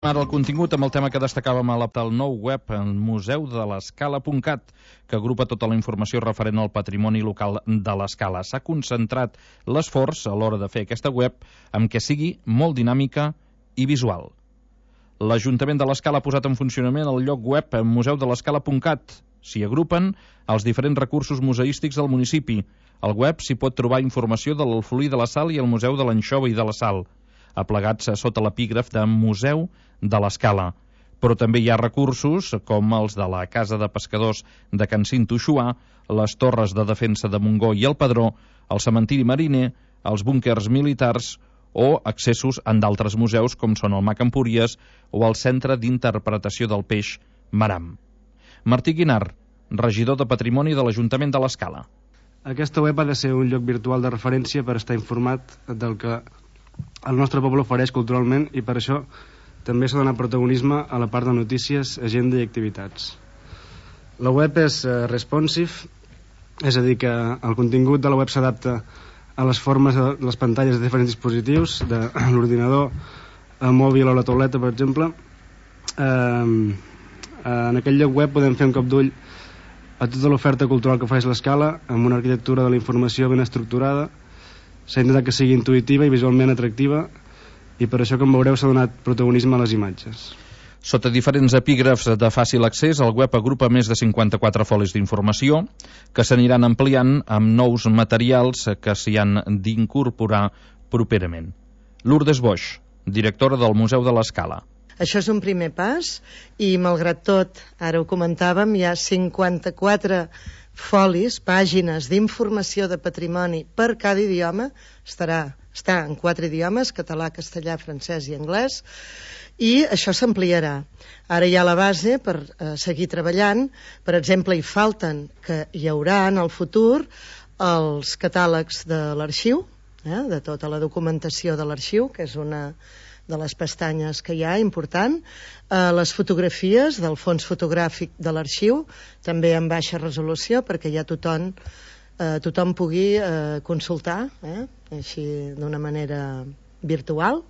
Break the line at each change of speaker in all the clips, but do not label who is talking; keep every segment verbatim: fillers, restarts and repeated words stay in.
Ara el contingut amb el tema que destacàvem a l'aptal nou web, el museu de l'escala punt cat, que agrupa tota la informació referent al patrimoni local de l'Escala. S'ha concentrat l'esforç a l'hora de fer aquesta web amb què sigui molt dinàmica i visual. L'Ajuntament de l'Escala ha posat en funcionament el lloc web museu de l'escala punt cat. S'hi agrupen els diferents recursos museístics del municipi. Al web s'hi pot trobar informació de l'Alfolí de la Sal i el Museu de l'Anxova i de la Sal, aplegats sota l'epígraf de Museu de l'Escala. Però també hi ha recursos com els de la Casa de Pescadors de Can Cinto-Xuà, les Torres de Defensa de Montgó i el Pedró, el Cementiri Mariner, els búnquers militars o accessos en d'altres museus com són el Mac Empúries o el Centre d'Interpretació del Peix Maram. Martí Guinart, regidor de Patrimoni de l'Ajuntament de l'Escala.
Aquesta web ha de ser un lloc virtual de referència per estar informat del que el nostre poble ofereix culturalment, i per això també s'ha donat protagonisme a la part de notícies, agenda i activitats. La web és eh, responsive, és a dir, que el contingut de la web s'adapta a les formes de les pantalles de diferents dispositius, de l'ordinador, el mòbil o la tauleta, per exemple. Eh, en aquest lloc web podem fer un cop d'ull a tota l'oferta cultural que ofereix l'Escala, amb una arquitectura de la informació ben estructurada. S'ha intentat que sigui intuïtiva i visualment atractiva, i per això, com veureu, s'ha donat protagonisme a les imatges.
Sota diferents epígrafs de fàcil accés, el web agrupa més de cinquanta-quatre folis d'informació que s'aniran ampliant amb nous materials que s'hi han d'incorporar properament. Lourdes Boix, directora del Museu de l'Escala.
Això és un primer pas i, malgrat tot, ara ho comentàvem, hi ha cinquanta-quatre folis, pàgines d'informació de patrimoni per cada idioma. Estarà, està en quatre idiomes, català, castellà, francès i anglès, i això s'ampliarà. Ara hi ha la base per eh, seguir treballant. Per exemple, hi falten, que hi haurà en el futur, els catàlegs de l'arxiu, eh, de tota la documentació de l'arxiu, que és una de les pestanyes que hi ha, important, eh, les fotografies del fons fotogràfic de l'arxiu, també en baixa resolució, perquè ja tothom, eh, tothom pugui eh, consultar, eh, així d'una manera virtual.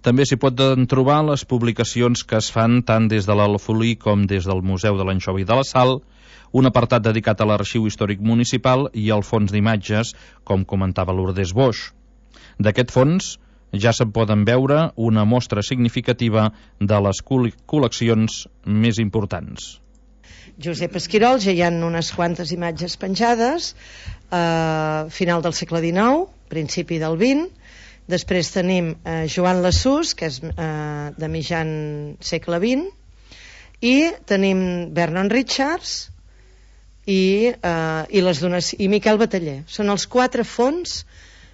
També s'hi poden trobar les publicacions que es fan tant des de l'Alfolí com des del Museu de l'Anxova i de la Sal, un apartat dedicat a l'Arxiu Històric Municipal i al fons d'imatges, com comentava Lourdes Boix. D'aquest fons ja se'n poden veure una mostra significativa de les col·leccions més importants.
Josep Esquirol, ja hi ha unes quantes imatges penjades, eh, final del segle dinou, principi del vint. Després tenim eh, Joan Lassús, que és eh, de mitjan segle vint, i tenim Vernon Richards i, eh, i, les donac- i Miquel Bataller. Són els quatre fons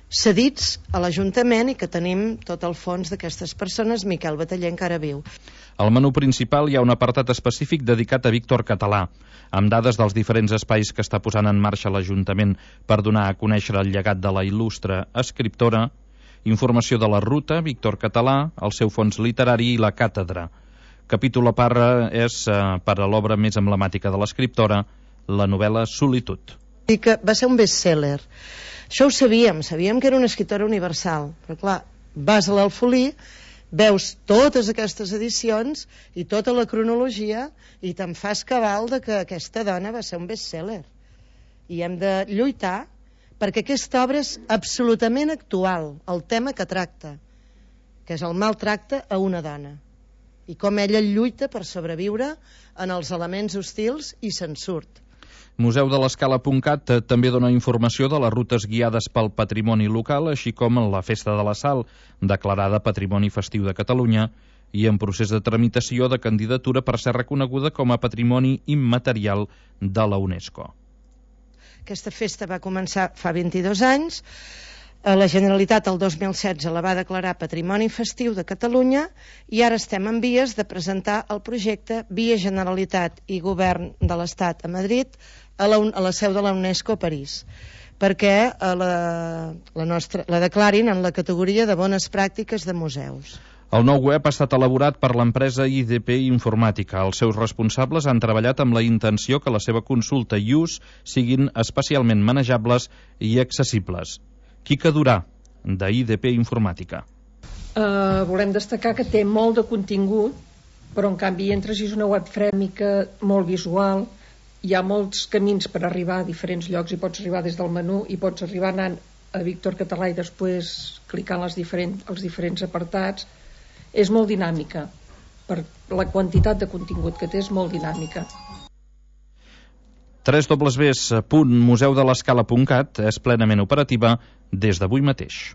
cedits a l'Ajuntament i que tenim tot el fons d'aquestes persones. Miquel Bataller encara viu.
Al menú principal hi ha un apartat específic dedicat a Víctor Català, amb dades dels diferents espais que està posant en marxa l'Ajuntament per donar a conèixer el llegat de la il·lustre escriptora, informació de la ruta Víctor Català, el seu fons literari i la càtedra. Capítol a part és eh, per a l'obra més emblemàtica de l'escriptora, la novel·la Solitud.
I que va ser un best-seller. Això ho sabíem, sabíem que era una escriptora universal, però clar, vas a l'Alfolí, veus totes aquestes edicions i tota la cronologia i te'n fas cabal de que aquesta dona va ser un best-seller. I hem de lluitar perquè aquesta obra és absolutament actual, el tema que tracta, que és el maltracte a una dona, i com ella lluita per sobreviure en els elements hostils i se'n surt.
Museu de l'escala punt cat també dona informació de les rutes guiades pel patrimoni local, així com la Festa de la Sal, declarada Patrimoni Festiu de Catalunya, i en procés de tramitació de candidatura per ser reconeguda com a Patrimoni Immaterial de la UNESCO.
Aquesta festa va començar fa vint-i-dos anys. La Generalitat el dos mil setze la va declarar Patrimoni Festiu de Catalunya i ara estem en vies de presentar el projecte via Generalitat i Govern de l'Estat a Madrid a la, a la seu de la UNESCO a París, perquè la, la, nostra, la declarin en la categoria de bones pràctiques de museus.
El nou web ha estat elaborat per l'empresa I D P Informàtica. Els seus responsables han treballat amb la intenció que la seva consulta i ús siguin especialment manejables i accessibles. Quica Durà, de I D P Informàtica.
eh, volem destacar que té molt de contingut, però en canvi entres i és una web frèmica molt visual, hi ha molts camins per arribar a diferents llocs, i pots arribar des del menú i pots arribar anant a Víctor Català i després clicant les diferents, els diferents apartats. És molt dinàmica, per la quantitat de contingut que té és molt dinàmica.
w w w punt museu de l'escala punt cat és plenament operativa des d'avui mateix.